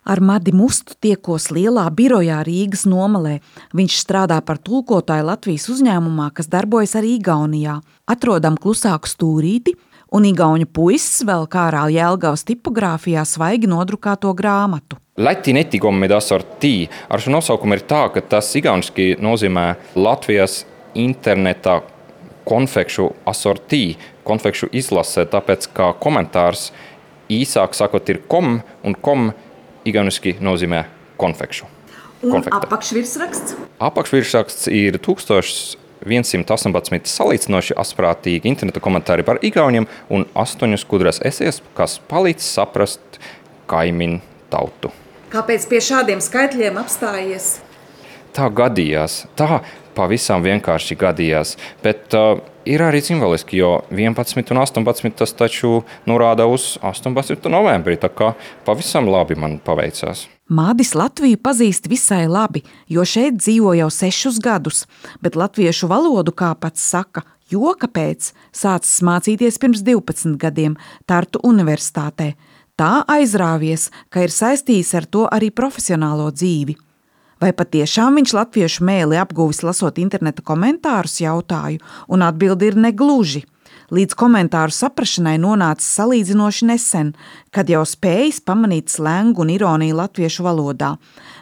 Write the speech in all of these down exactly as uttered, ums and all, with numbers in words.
Ar Madi Mustu tiekos lielā birojā Rīgas Nomalē. Viņš strādā par tulkotāju Latvijas uzņēmumā, kas darbojas arī Igaunijā. Atrodam klusāku stūrīti, un igauņu puisis vēl kārā Jelgavas tipogrāfijā svaigi nodrukāto grāmatu. Läti netikommide assortii. Ar šo nosaukumu ir tā, ka tas igauniski nozīmē Latvijas interneta konfekšu assortii, konfekšu izlase, tāpēc kā komentārs īsāk sakot ir kom, un kom igauniski nozīmē konfekšu. Un apakšvirsraksts? Apakšvirsraksts ir tūkstoš viens astoņpadsmit salīdzinoši asprātīgi interneta komentāri par igauniem un astoņas gudras esejas, kas palīdz saprast kaimiņu tautu. Kāpēc pie šādiem skaitļiem apstājies? Tā gadījās, tā pavisam vienkārši gadījās, bet uh, ir arī simboliski, jo vienpadsmit un astoņpadsmit tas taču norāda uz astoņpadsmito novembrī, tā kā pavisam labi man paveicās. Madis Latviju pazīst visai labi, jo šeit dzīvo jau sešus gadus, bet latviešu valodu, kā pats saka, joka pēc sācis mācīties pirms divpadsmit gadiem Tartu universitātē. Tā aizrāvies, ka ir saistījis ar to arī profesionālo dzīvi. Vai patiešām viņš latviešu mēli apguvis lasot interneta komentārus, jautāju, un atbildi ir negluži. Līdz komentāru saprašanai nonācis salīdzinoši nesen, kad jau spējis pamanīt slengu un ironiju latviešu valodā,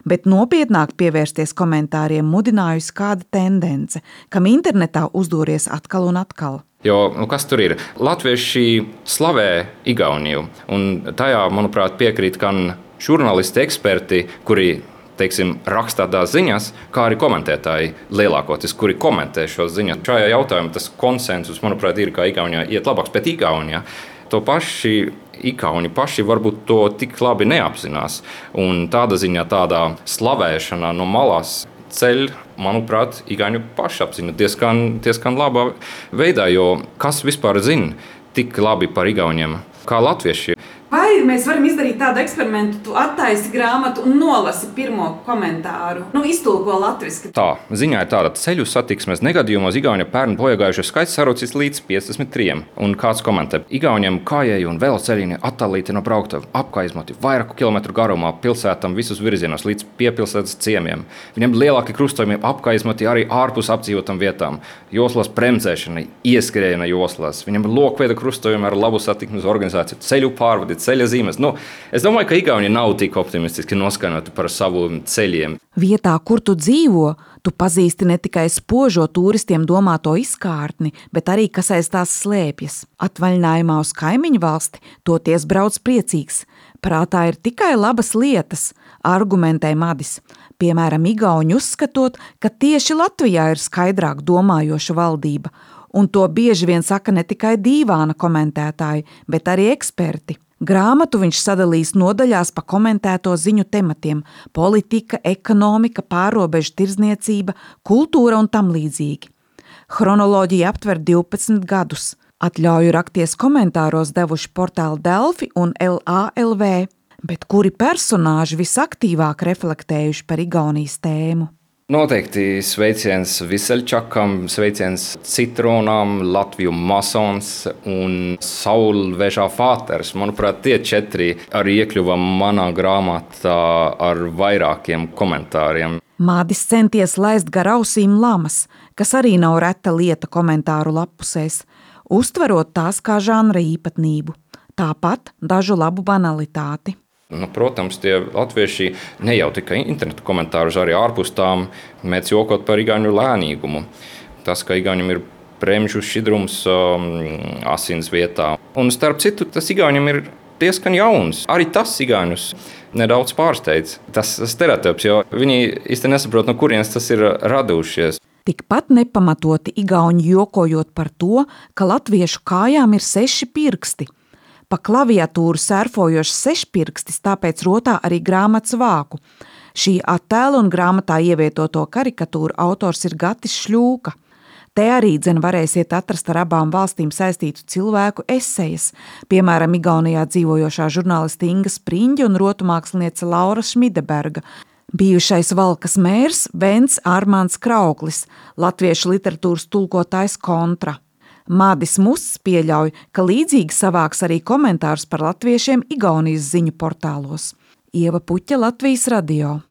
bet nopietnāk pievērsties komentāriem mudinājusi kāda tendence, kam internetā uzdūries atkal un atkal. Jo, nu kas tur ir? Latvieši slavē Igauniju, un tajā, manuprāt, piekrīt gan žurnālisti, eksperti, kuri teiksim, rakstā tās ziņas, kā arī komentētāji lielākoties, kuri komentē šo ziņas. Šajā jautājumā tas konsensus, manuprāt, ir, kā Igaunijā iet labāks, bet Igaunijā to paši Igauni paši varbūt to tik labi neapzinās. Un tāda ziņā, tādā slavēšanā no malās ceļ, manuprāt, Igauņu pašapziņu diezgan, diezgan labā veidā, jo kas vispār zina tik labi par Igauniem kā latvieši? Vai mēs varam izdarīt tādu eksperimentu, tu attaisi grāmatu un nolasi pirmo komentāru, nu iztulko latviski? Tā, ziņā ir tāda ceļu satiksmes negadījumos Igauņa pērn bojagājušo skaits sarucis līdz piecdesmit trim. Un kāds komentē, Igauniem kājēji un veloceļiņi attālīti no brauktuve, apkaizmoti vairāku kilometru garumā pilsētam visus virzienos līdz piepilsētas ciemiem. Viņiem lielāki krustojumi apkaizmoti arī ārpus apdzīvotām vietām. Joslas bremzēšana, ieskriena joslās. Viņiem lokveida krustojumi ar labu satiksmes organizāciju, ceļu pārvadi, ceļa zīmes. Nu, es domāju, ka Igauni nav tik optimistiski noskaņoti par savu ceļiem. Vietā, kur tu dzīvo, tu pazīsti ne tikai spožo turistiem domāto izkārtni, bet arī, kas aiz tās slēpjas. Atvaļinājumā uz kaimiņu valsti toties brauc priecīgs. Prātā ir tikai labas lietas, argumentē Madis. Piemēram, Igauņi uzskatot, ka tieši Latvijā ir skaidrāk domājoša valdība, un to bieži vien saka ne tikai dīvāna komentētāji, bet arī eksperti. Grāmatu viņš sadalīs nodaļās pa komentēto ziņu tematiem – politika, ekonomika, pārrobežu tirdzniecība, kultūra un tam līdzīgi. Chronoloģija aptver divpadsmit gadus. Atļauju rakties komentāros devuši portāli Delfi un L A L V, bet kuri personāži visaktīvāk reflektējuši par Igaunijas tēmu? Noteikti sveiciens Viseļčakam, sveiciens Citronam, Latviju masons un Saulvežā fāters. Manuprāt, tie četri arī iekļuva manā grāmatā ar vairākiem komentāriem. Madis centies laist gar ausīm lamas, kas arī nav reta lieta komentāru lapusēs, uztverot tās kā žanra īpatnību. Tāpat dažu labu banalitāti. Nu, protams, tie latvieši ne jau tikai internetu komentārus, arī ārpus tām mēdz jokot par igauņu lēnīgumu. Tas, ka igauņiem ir premžu šķidrums um, asins vietā. Un starp citu, tas igauņiem ir diezgan jauns. Arī tas igauņus nedaudz pārsteidz. Tas stereotips, jo viņi īsti nesaprot, no kurienes tas ir radušies. Tikpat nepamatoti igauņi jokojot par to, ka latviešu kājām ir seši pirksti. Pa klaviatūru sērfojošs sešpirkstis, tāpēc rotā arī grāmatas vāku. Šī attēla un grāmatā ievietoto karikatūru autors ir Gatis Šļūka. Te arī dzen varēsiet atrast ar abām valstīm saistītu cilvēku esejas, piemēram, Igaunijā dzīvojošā žurnāliste Inga Spriņģa un rotumāksliniece Laura Šmideberga, bijušais Valkas mērs Vents Armāns Krauklis, latviešu literatūras tulkotājs Kontra. Madis Musts pieļauj, ka līdzīgi savāks arī komentārus par latviešiem Igaunijas ziņu portālos. Ieva Puķa, Latvijas radio.